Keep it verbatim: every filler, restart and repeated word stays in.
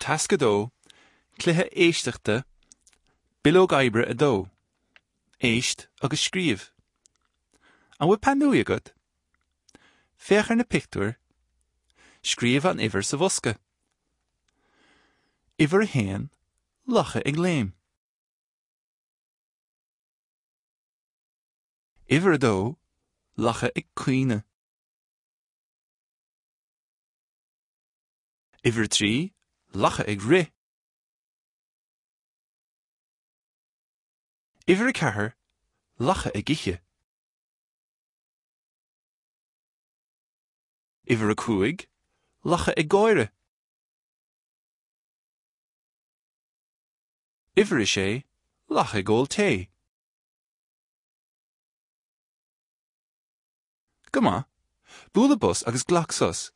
Tasc a dó, Cluiche éisteachta, Bileog oibre a dó. Éist agus scríobh. An bhfuil peann luaidhe agat? Féach ar na pictiúir. Scríobh an uimhir sa bhosca. Uimhir a haon, lacha ag léim. Uimhir a dó, lacha ag caoineadh. Uimhir a trí, lacha ag rith. Uimhir a ceathair, lacha ag ithe. Uimhir a cúig, lacha ag gáire. Uimhir a sé, lacha ag ól tae. Go maith, buail bos agus glac sos.